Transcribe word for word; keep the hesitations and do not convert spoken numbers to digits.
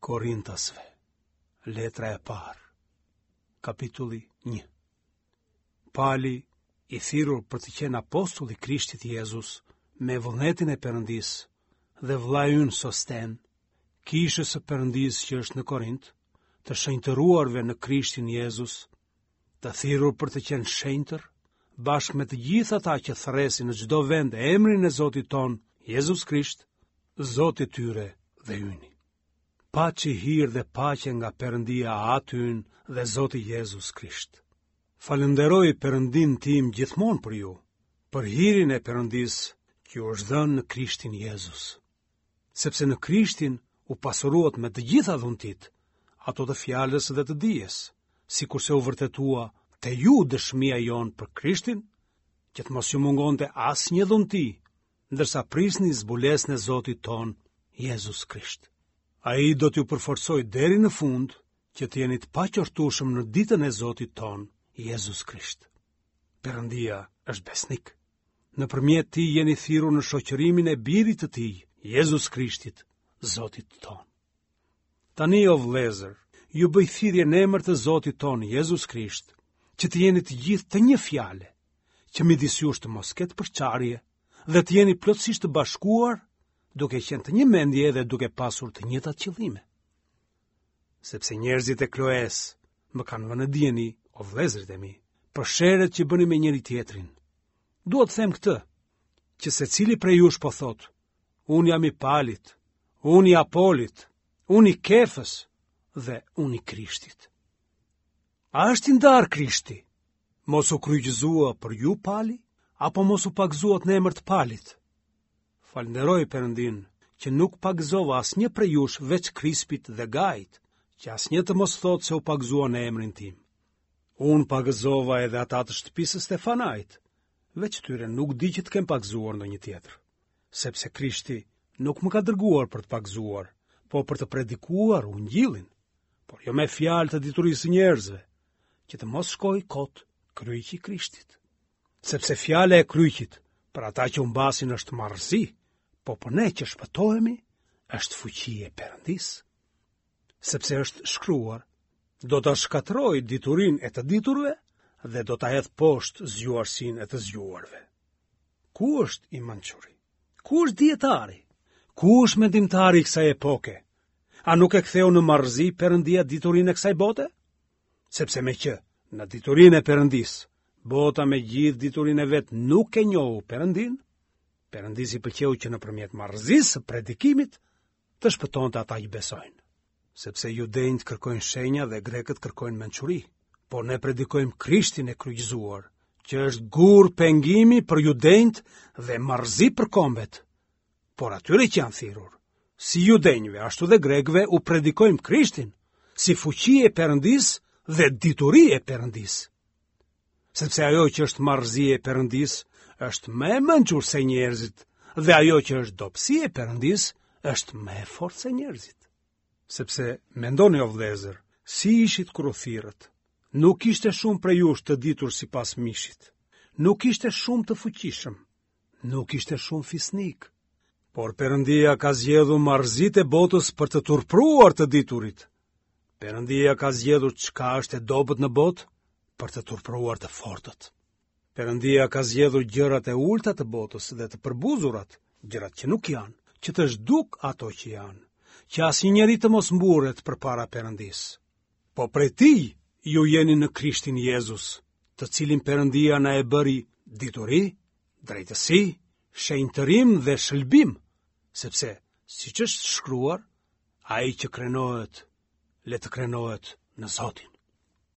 Korintasve, letra e parë, kapitulli një. Pali, i thirrur për të qenë apostull i Krishtit Jezus, me vullnetin e Perëndisë, dhe vëllai ynë Sosten, kishës së Perëndisë që është në Korint, të shenjtëruarve në Krishtin Jezus, të thirrur për të qenë shenjtër, bashkë me të gjithë ata që thërresin në çdo vend emrin e Zotit tonë, Jezus Krisht, Zoti i tyre dhe yni. Paçi hir dhe paqe nga Perëndia Ati ynë dhe Zoti Jezus Krisht. Falënderoj Perëndinë tim gjithmonë për ju, për hirin e Perëndisë që ju është dhënë në Krishtin Jezus. Sepse në Krishtin u pasuruat me të gjitha dhuntitë, ato të fjalës dhe të dijes, sikurse u vërtetua te ju dëshmia jonë për Krishtin, që të mos ju mungonte asnjë dhunti, ndërsa prisni zbulesën e Zotit tonë, Jezus Krisht. Ai do t'ju përforcojë deri në fund, që të jeni të paqortueshëm në ditën e Zotit tonë, Jezus Krisht. Perëndia është besnik. Nëpërmjet tij jeni thirrur në shoqërimin e birit të tij, Jezus Krishtit, Zotit tonë. Tani o vëllezër, ju bëj thirrje në emër të Zotit tonë Jezus Krisht, që të jeni të gjithë të një fjale, që midis jush të mos ketë përçarje dhe të jeni plotësisht të bashkuar, duke qenë të një mendje dhe duke pasur të njëjtat qëllime. Sepse njerëzit e Kloes më kanë vënë në dijeni, o vëllezërit e mi, për sherret që bëni me njëri tjetrin. Dua të them këtë, që secili prej jush po thotë, unë jam i Palit, unë i Apolit, unë i Kefës dhe unë i Krishtit. A është i ndarë Krishti? Mos u kryqëzua për ju Pali, apo mos u pagëzuat në emër të Palit? Falënderoj Perëndinë që nuk pagëzova asnjë prej jush veç Krispit dhe Gajit, që asnjë të mos thotë se u pagëzua në emrin tim. Unë pagëzova edhe ata të shtëpisë së Stefanait, veç tyre nuk di që të kem pagëzuar ndonjë tjetër, sepse Krishti nuk më ka dërguar për të pagëzuar, po për të predikuar ungjillin, por jo me fjalë të diturisë së njerëzve, që të mos shkojë kot kryqi i Krishtit. Sepse fjala e kryqit për ata që humbasin është marrëzi, po për ne që shpëtohemi është fuqi e Perëndisë. Sepse është shkruar, do ta shkatërroj diturinë e të diturve dhe do ta hedh poshtë zgjuarsinë e të zgjuarve. Ku është i mençuri? Ku është dijetari? Ku është mendimtari i kësaj epoke? A nuk e ktheu në marrëzi Perëndia diturinë e kësaj bote? Sepse me që në diturinë e Perëndisë, bota me gjithë diturinë e vet nuk e njohu Perëndinë, Perëndisë i pëlqeu që nëpërmjet marrëzisë së predikimit të shpëtonte ata që besojnë. Sepse judenjtë kërkojnë shenja dhe grekët kërkojnë mençuri, por ne predikojmë Krishtin e kryqëzuar, që është gur pengimi për judenjtë dhe marrëzi për kombet. Por atyre që janë thirrur, si judenjve ashtu dhe grekëve u predikojmë Krishtin, si fuqi e Perëndisë dhe dituri e Perëndisë. Sepse ajo që është marrëzi e Perëndisë është më e mençur se njerëzit, dhe ajo që është dobësi e Perëndisë është më e fortë se njerëzit. Sepse mendoni o vëllezër, si ishit kur u thirrët? Nuk ishte shumë prej jush të ditur sipas mishit. Nuk ishte shumë të fuqishëm. Nuk ishte shumë fisnik. Por Perëndia ka zgjedhur marrëzitë e botës për të turpruar të diturit. Perëndia ka zgjedhur çka është e dobët në botë për të turpruar të fortët. Perëndia ka zgjedhur gjërat e ulta të botës dhe të përbuzurat, gjërat që nuk janë, që të zhduk ato që janë, që asnjë njeri të mos mburret përpara Perëndisë. Po prej tij ju jeni në Krishtin Jezus, të cilin Perëndia na e bëri dituri, drejtësi, shenjtërim dhe shëlbim, sepse siç është shkruar, ai që krenohet, le të krenohet në Zotin.